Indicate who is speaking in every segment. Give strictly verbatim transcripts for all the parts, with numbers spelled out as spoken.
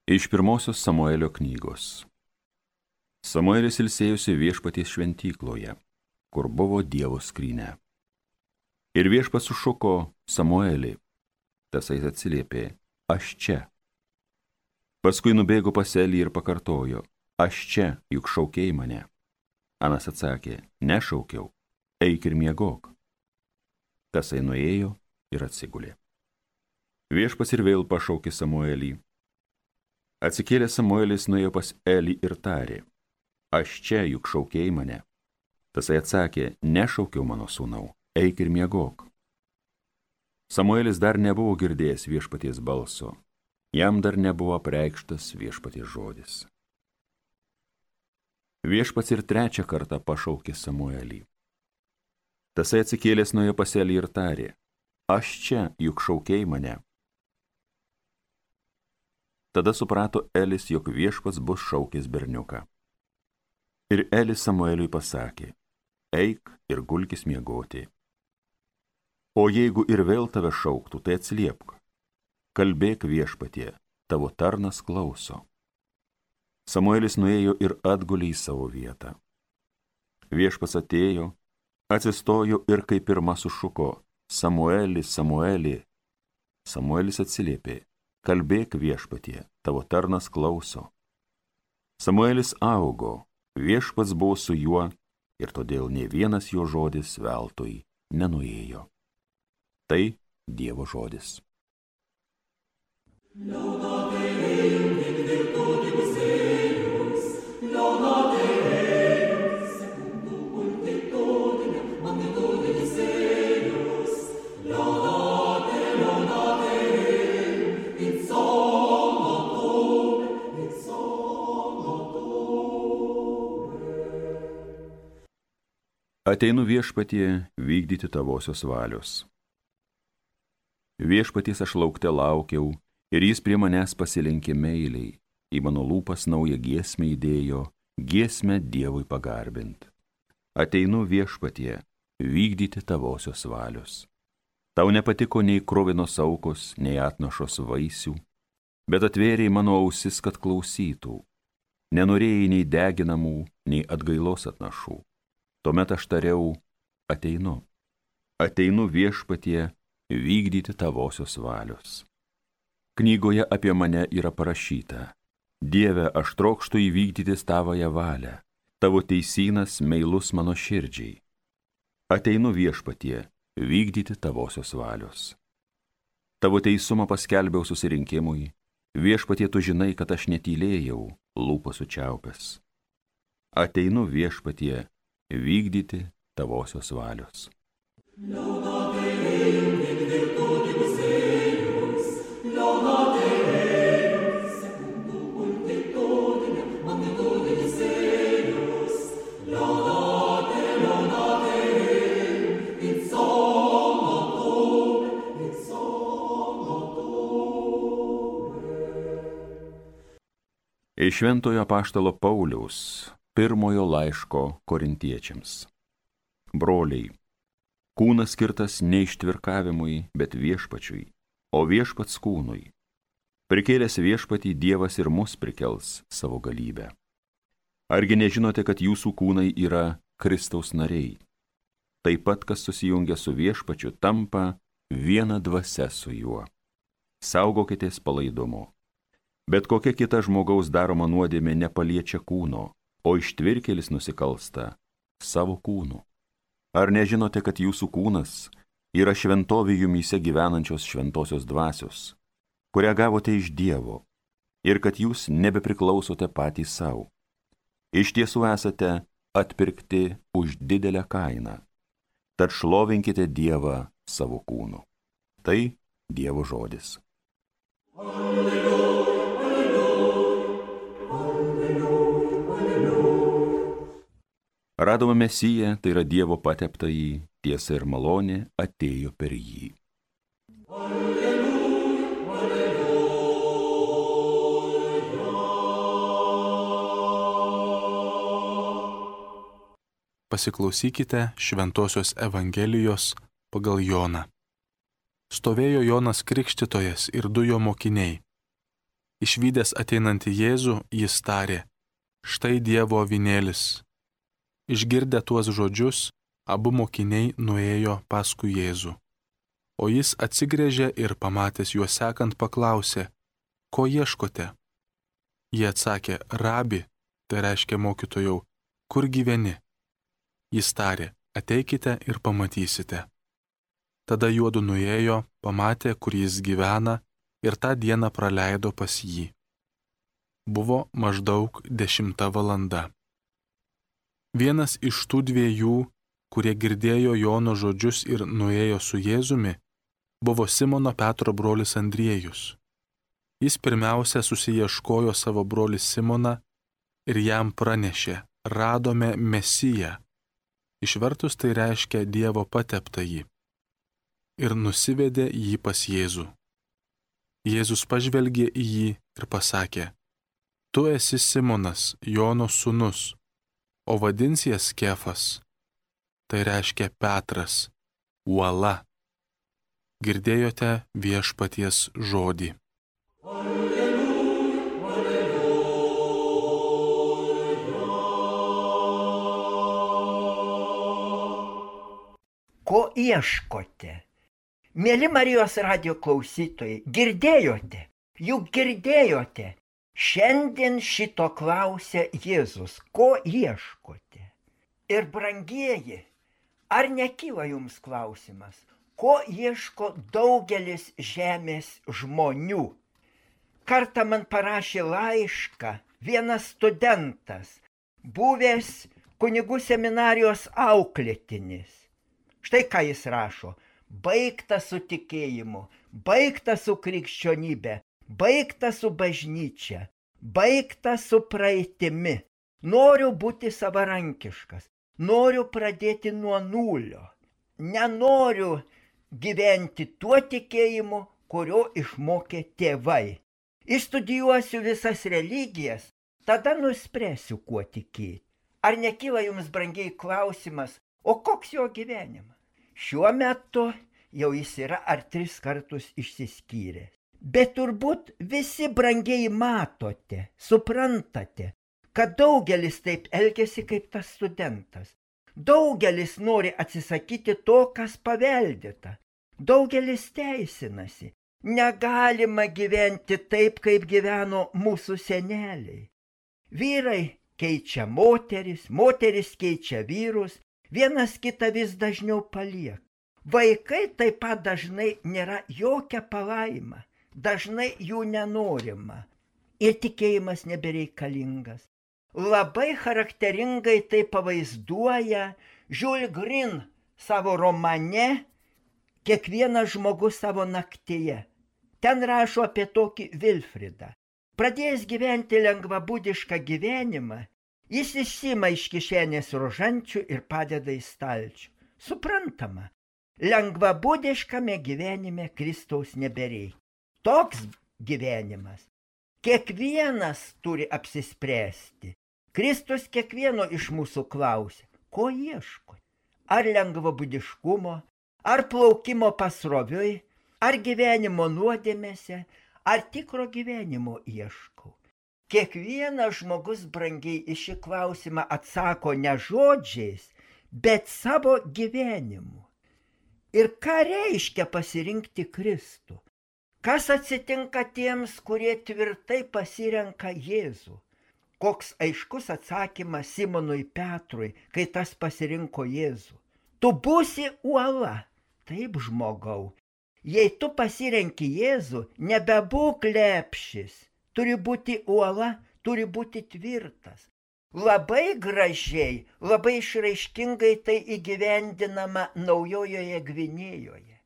Speaker 1: Iš pirmosios Samuelio knygos. Samuelis ilsėjosi Viešpaties šventykloje, kur buvo Dievo skrynia. Ir Viešpats sušuko Samuelį, tasai atsiliepė, aš čia. Paskui nubėgo pas Elį ir pakartojo, aš čia, juk šaukei mane. Anas atsakė, nešaukiau, eik ir miegok. Tasai nuėjo ir atsigulė. Viešpats ir vėl pašaukė Samuelį. Atsikėlęs Samuelis nuėjo pas Elį ir tarė, aš čia, juk šaukei mane. Tasai atsakė, nešaukiau mano sūnau, eik ir miegok. Samuelis dar nebuvo girdėjęs Viešpaties balso, jam dar nebuvo apreikštas Viešpaties žodis. Viešpats ir trečią kartą pašaukė Samuelį. Tasai atsikėlęs nuėjo pas Elį ir tarė, aš čia, juk šaukei mane. Tada suprato Elis, jog Viešpats bus šaukęs berniuką. Ir Elis Samueliui pasakė, eik ir gulkis miegoti. O jeigu ir vėl tave šauktų, tai atsiliepk. Kalbėk Viešpatie, tavo tarnas klauso. Samuelis nuėjo ir atgulė į savo vietą. Viešpats atėjo, atsistojo ir kaip pirma sušuko, Samueli, Samueli. Samuelis atsiliepė, kalbėk Viešpatie, tavo tarnas klauso. Samuelis augo, Viešpats buvo su juo ir todėl nė vienas jo žodis veltui nenuėjo. Tai Dievo žodis. Ateinu Viešpatie vykdyti tavosios valios. Viešpaties aš laukte laukiau, ir jis prie manęs pasilenkė meiliai, į mano lūpas naują giesmę įdėjo, giesmę Dievui pagarbint. Ateinu Viešpatie vykdyti tavosios valios. Tau nepatiko nei kruvinos aukos, nei atnašos vaisių, bet atvėrei mano ausis, kad klausytų. Nenorėjai nei deginamų, nei atgailos atnašų. Tuomet aš tariau, ateinu, ateinu Viešpatie vykdyti tavosios valios. Knygoje apie mane yra parašyta, Dieve, aš trokštu įvykdyti tavąją valią, tavo teisynas meilus mano širdžiai. Ateinu Viešpatie vykdyti tavosios valios. Tavo teisumą paskelbiau susirinkimui, Viešpatie tu žinai, kad aš netylėjau, lūpas sučiaupęs. Ateinu Viešpatie vykdyti tavosios valios. Iš Šventojo apaštalo Pauliaus pirmojo laiško korintiečiams. Broliai, kūnas skirtas ne ištvirkavimui, bet Viešpačiui, o Viešpats kūnui. Prikėlęs Viešpatį Dievas ir mus prikels savo galybę. Argi nežinote, kad jūsų kūnai yra Kristaus nariai? Taip pat, kas susijungia su Viešpačiu, tampa viena dvasia su juo. Saugokitės palaidumo. Bet kokia kita žmogaus daroma nuodėmė nepaliečia kūno, o ištvirkėlis nusikalsta savo kūnu. Ar nežinote, kad jūsų kūnas yra šventovė jumyse gyvenančios šventosios dvasios, kurią gavote iš Dievo, ir kad jūs nebepriklausote patys savo? Iš tiesų esate atpirkti už didelę kainą, tad šlovinkite Dievą savo kūnu. Tai Dievo žodis. Alleluja. Radome Mesiją, tai yra Dievo pateptąjį, tiesa ir malonė atėjo per jį. Alleluja, alleluja.
Speaker 2: Pasiklausykite Šventosios Evangelijos pagal Joną. Stovėjo Jonas Krikštytojas ir du jo mokiniai. Išvydęs ateinantį Jėzų, jis tarė, štai Dievo avinėlis. Išgirdę tuos žodžius, abu mokiniai nuėjo paskui Jėzų. O jis atsigręžė ir pamatęs juos sekant paklausė, ko ieškote? Jie atsakė, rabi, tai reiškia mokytojau, kur gyveni? Jis tarė, ateikite ir pamatysite. Tada juodu nuėjo, pamatė, kur jis gyvena ir tą dieną praleido pas jį. Buvo maždaug dešimta valanda. Vienas iš tų dviejų, kurie girdėjo Jono žodžius ir nuėjo su Jėzumi, buvo Simono Petro brolis Andriejus. Jis pirmiausia susiieškojo savo brolį Simoną ir jam pranešė, radome Mesiją. Išvertus tai reiškia Dievo pateptąjį. Ir nusivedė jį pas Jėzų. Jėzus pažvelgė į jį ir pasakė, tu esi Simonas, Jono sūnus, o vadinsies Kefas. Tai reiškia Petras, uola. Girdėjote viešpaties žodį. Alleluja, alleluja.
Speaker 3: Ko ieškote? Mėly Marijos radijo klausytojai, girdėjote, juk girdėjote, šiandien šito klausia Jėzus, ko ieškote? Ir brangieji, ar nekyla jums klausimas, ko ieško daugelis žemės žmonių? Kartą man parašė laišką vienas studentas, buvęs kunigų seminarijos auklėtinis. Štai ką jis rašo. Baigta su tikėjimu, baigta su krikščionybė, baigta su bažnyčia, baigta su praeitimi. Noriu būti savarankiškas, noriu pradėti nuo nulio. Nenoriu gyventi tuo tikėjimu, kurio išmokė tėvai. Išstudijuosiu visas religijas, tada nuspręsiu, kuo tikėti. Ar nekyla jums, brangiai, klausimas, o koks jo gyvenimas? Šiuo metu jau jis yra ar tris kartus išsiskyręs. Bet turbūt visi brangiai matote, suprantate, kad daugelis taip elgiasi kaip tas studentas. Daugelis nori atsisakyti to, kas paveldėta. Daugelis teisinasi. Negalima gyventi taip, kaip gyveno mūsų seneliai. Vyrai keičia moteris, moteris keičia vyrus, vienas kitą vis dažniau palieka. Vaikai taip pat dažnai nėra jokia palaima, dažnai jų nenorima ir tikėjimas nebereikalingas. Labai charakteringai tai pavaizduoja Jules Green savo romane Kiekvienas žmogus savo naktyje. Ten rašo apie tokį Vilfridą. Pradėjęs gyventi lengvabūdišką gyvenimą, jis išsima iš kišenės rožančių ir padeda į stalčių. Suprantama, lengvabūdiškame gyvenime Kristaus nebereikia. Toks gyvenimas. Kiekvienas turi apsispręsti. Kristus kiekvieno iš mūsų klausia, ko ieško? Ar lengvabūdiškumo, ar plaukimo pasroviui, ar gyvenimo nuodėmėse, ar tikro gyvenimo ieškau. Kiekvienas žmogus brangiai į šį klausimą atsako ne žodžiais, bet savo gyvenimu. Ir ką reiškia pasirinkti Kristų? Kas atsitinka tiems, kurie tvirtai pasirenka Jėzų? Koks aiškus atsakymas Simonui Petrui, kai tas pasirinko Jėzų. Tu būsi uola. Taip, žmogau. Jei tu pasirenki Jėzų, nebebūk lepšis. Turi būti uola, turi būti tvirtas. Labai gražiai, labai išraiškingai tai įgyvendinama Naujojoje Gvinėjoje.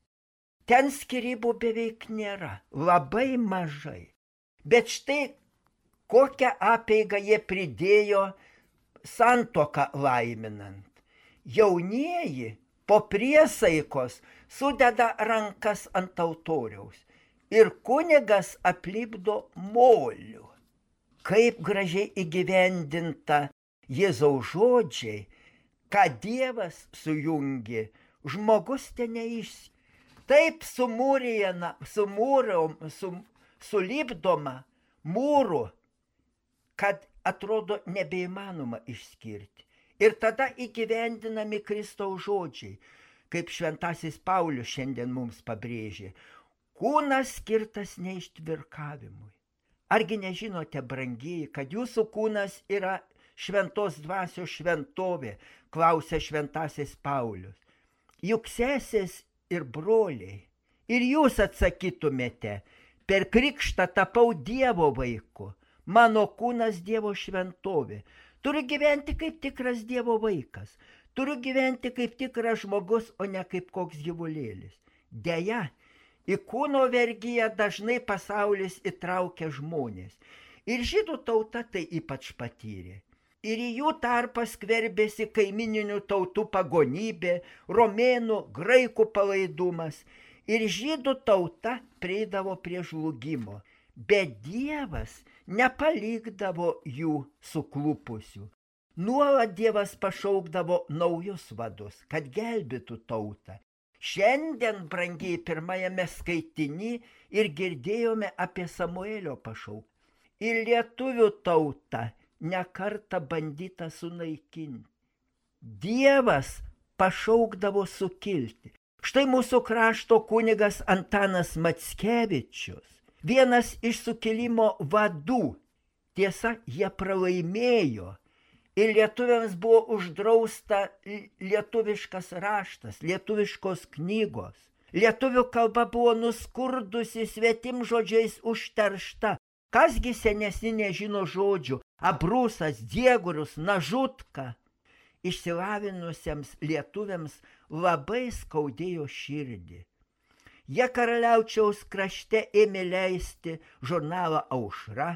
Speaker 3: Ten skyrybų beveik nėra, labai mažai. Bet štai kokią apeigą jie pridėjo santuoką laiminant. Jaunieji po priesaikos sudeda rankas ant altoriaus ir kunigas aplipdo moliu. Kaip gražiai įgyvendinta Jėzaus žodžiai, kad Dievas sujungi, žmogus ten neišsi. Taip sumūrijama, sumūrom, sum, sulipdoma mūrų, kad atrodo nebeįmanoma išskirti. Ir tada įgyvendinami Kristaus žodžiai, kaip šventasis Paulius šiandien mums pabrėžė. Kūnas skirtas neištvirkavimui. Argi nežinote, brangieji, kad jūsų kūnas yra šventos dvasios šventovė, klausia šventasis Paulius. Juk sesės ir broliai, ir jūs atsakytumėte, per krikštą tapau Dievo vaiku, mano kūnas Dievo šventovė. Turiu gyventi kaip tikras Dievo vaikas, turiu gyventi kaip tikras žmogus, o ne kaip koks gyvulėlis. Deja, į kūno vergiją dažnai pasaulis įtraukia žmonės. Ir žydų tauta tai ypač patyrė. Ir į jų tarpą skverbėsi kaimininių tautų pagonybė, romėnų, graikų palaidumas. Ir žydų tauta prieidavo prie žlugimo. Bet Dievas nepalikdavo jų suklupusių. Nuolat Dievas pašaukdavo naujus vadus, kad gelbėtų tautą. Šiandien, brangiai, pirmajame skaitiny ir girdėjome apie Samuelio pašaukimą. Ir lietuvių tauta nekartą bandyta sunaikinti. Dievas pašaukdavo sukilti. Štai mūsų krašto kunigas Antanas Mackevičius, vienas iš sukilimo vadų. Tiesa, jie pralaimėjo. Ir lietuviams buvo uždrausta lietuviškas raštas, lietuviškos knygos. Lietuvių kalba buvo nuskurdusi, svetimžodžiais užteršta. Kasgi senesni nežino žodžių? Abrūsas, diegurius, nažutka. Išsilavinusiems lietuviams labai skaudėjo širdį. Jie Karaliaučiaus krašte ėmė leisti žurnalą Aušra,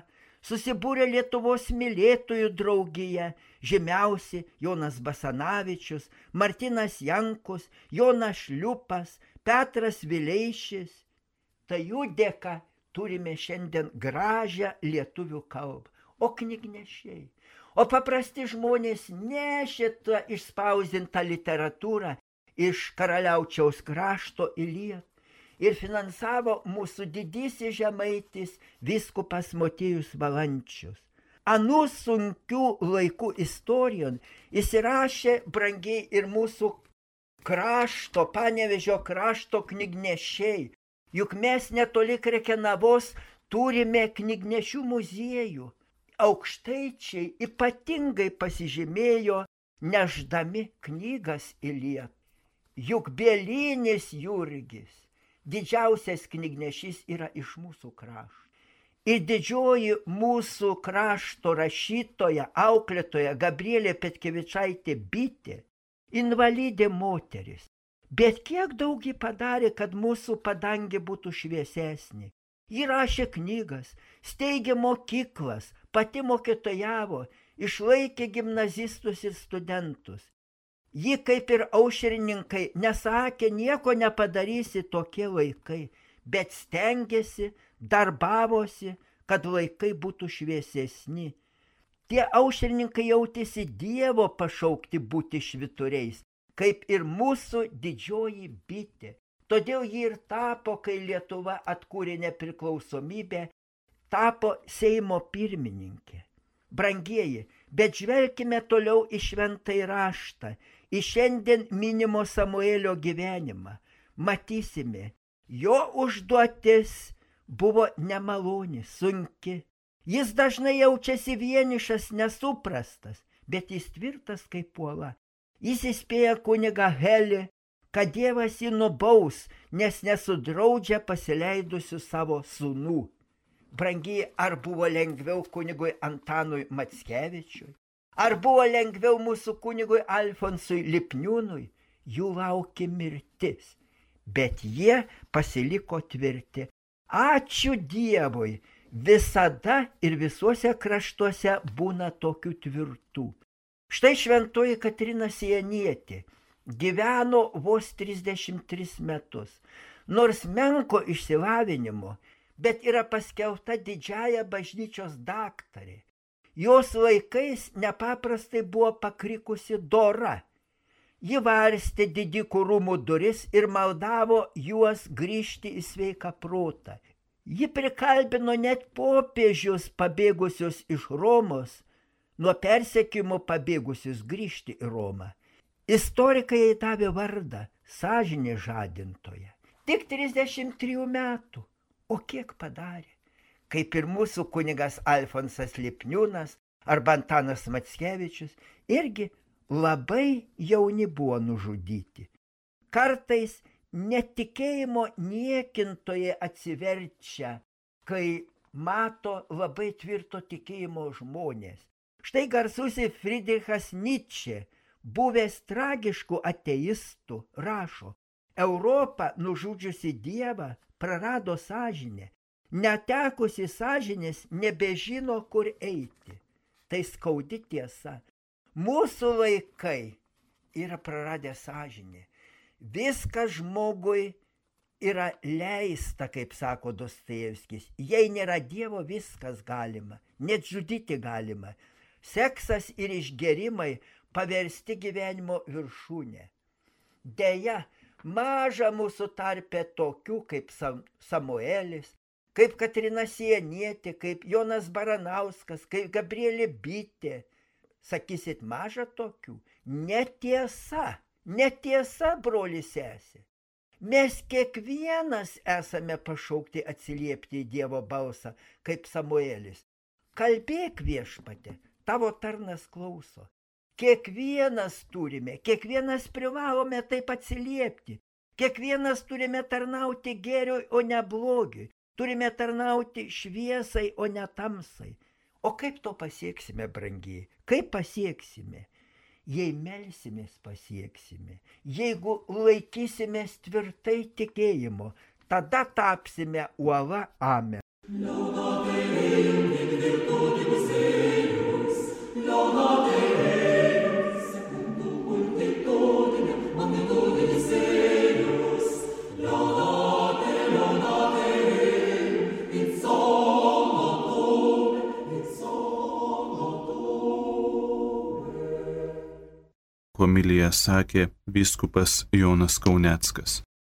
Speaker 3: susibūrė Lietuvos mylėtojų draugija, žymiausi Jonas Basanavičius, Martynas Jankus, Jonas Šliupas, Petras Vileišis. Tai jų dėka turime šiandien gražią lietuvių kalbą. O knygnešiai, o paprasti žmonės nešė tą išspausdintą literatūrą iš Karaliaučiaus krašto į Lietuvą. Ir finansavo mūsų didysis žemaitis vyskupas Motiejus Valančius. Anų sunkių laikų istorijon įsirašė brangiai ir mūsų krašto, Panevėžio krašto knygnešiai. Juk mes netoli Krekenavos turime knygnešių muziejų. Aukštaičiai ypatingai pasižymėjo nešdami knygas į Lietuvą. Juk Bielinis Jurgis, didžiausias knygnešys, yra iš mūsų krašto. Ir didžioji mūsų krašto rašytoja, auklėtoja Gabrielė Petkevičaitė Bitė, invalidė moteris. Bet kiek daug ji padarė, kad mūsų padangė būtų šviesesnė. Ji rašė knygas, steigė mokyklas, pati mokytojavo, išlaikė gimnazistus ir studentus. Ji, kaip ir aušrininkai, nesakė, nieko nepadarysi tokie laikai, bet stengėsi, darbavosi, kad laikai būtų šviesesni. Tie aušrininkai jautėsi Dievo pašaukti būti švyturiais, kaip ir mūsų didžioji Bitė. Todėl ji ir tapo, kai Lietuva atkūrė nepriklausomybę, tapo Seimo pirmininkė. Brangieji, bet žvelkime toliau į šventąjį raštą, į šiandien minimo Samuelio gyvenimą. Matysime, jo užduotis buvo nemaloni, sunki. Jis dažnai jaučiasi vienišas, nesuprastas, bet jis tvirtas kaip uola. Jis įspėja kunigą Helį, kad Dievas jį nubaus, nes nesudraudžia pasileidusių savo sūnų. Brangiai, ar buvo lengviau kunigui Antanui Mackevičiui? Ar buvo lengviau mūsų kunigui Alfonsui Lipniūnui? Jų laukė mirtis, bet jie pasiliko tvirti. Ačiū Dievui, visada ir visuose kraštuose būna tokių tvirtų. Štai šventoji Katrina Sienietė gyveno vos trisdešimt tris metus, nors menko išsilavinimo, bet yra paskelbta didžiąja bažnyčios daktarė. Jos laikais nepaprastai buvo pakrikusi dora. Ji varstė didikų rūmų duris ir maldavo juos grįžti į sveiką protą. Ji prikalbino net popiežius pabėgusius iš Romos, nuo persekiojimo pabėgusius grįžti į Romą. Istorikai jai davė vardą sąžinės žadintoja. Tik trisdešimt trijų metų. O kiek padarė? Kaip ir mūsų kunigas Alfonsas Lipniūnas arba Antanas Mackevičius, irgi labai jauni buvo nužudyti. Kartais netikėjimo niekintoje atsiverčia, kai mato labai tvirto tikėjimo žmonės. Štai garsusis Friedrichas Nietzsche, buvęs tragiškų ateistų, rašo: Europa, nužudžiusi Dievą, prarado sąžinę. Netekusi sąžinės nebežino, kur eiti. Tai skaudi tiesa. Mūsų laikai yra praradę sąžinę. Viskas žmogui yra leista, kaip sako Dostojevskis. Jei nėra Dievo, viskas galima. Net žudyti galima. Seksas ir išgerimai paversti gyvenimo viršūnę. Deja, maža mūsų tarpe tokių kaip Sam- Samuelis, kaip Katrina Sienietė, kaip Jonas Baranauskas, kaip Gabrielė Bitė. Sakysit, maža tokių? Netiesa, netiesa, broli sesė. Mes kiekvienas esame pašaukti atsiliepti į Dievo balsą, kaip Samuelis. Kalbėk, Viešpatie, tavo tarnas klauso. Kiekvienas turime, kiekvienas privalome taip atsiliepti. Kiekvienas turime tarnauti gėriui, o ne blogiui. Turime tarnauti šviesai, o ne tamsai. O kaip to pasieksime, brangiai? Kaip pasieksime? Jei melsimės, pasieksime. Jeigu laikysimės tvirtai tikėjimo, tada tapsime uola. Amen.
Speaker 2: Homiliją sakė vyskupas Jonas Kauneckas.